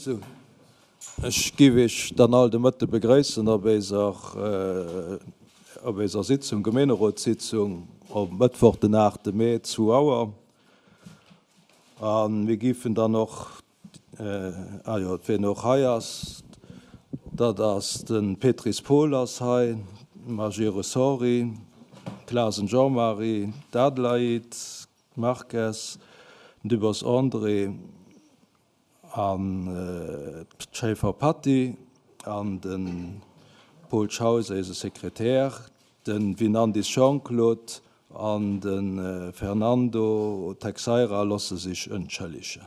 Sou, ech giff Iech dann all de Mëtte begréissen op eiser, op eiser Sitzung, Gemeenerotssitzung op Mëttwoch den 8 Mee, 2 Auer. A mir giffen dann och, ah jo, wien och hei ass, dat ass de Petris Paul ass hei, d'Majerus Henri, Clasen Jean-Marie, d'Adelaide Marques, den Dubos André an d'Schaeffer Patty an de Paul Schaus, eise Sekretär, de Winandis Jean-Claude an de Fernando Texeira losse sech entschëllegen.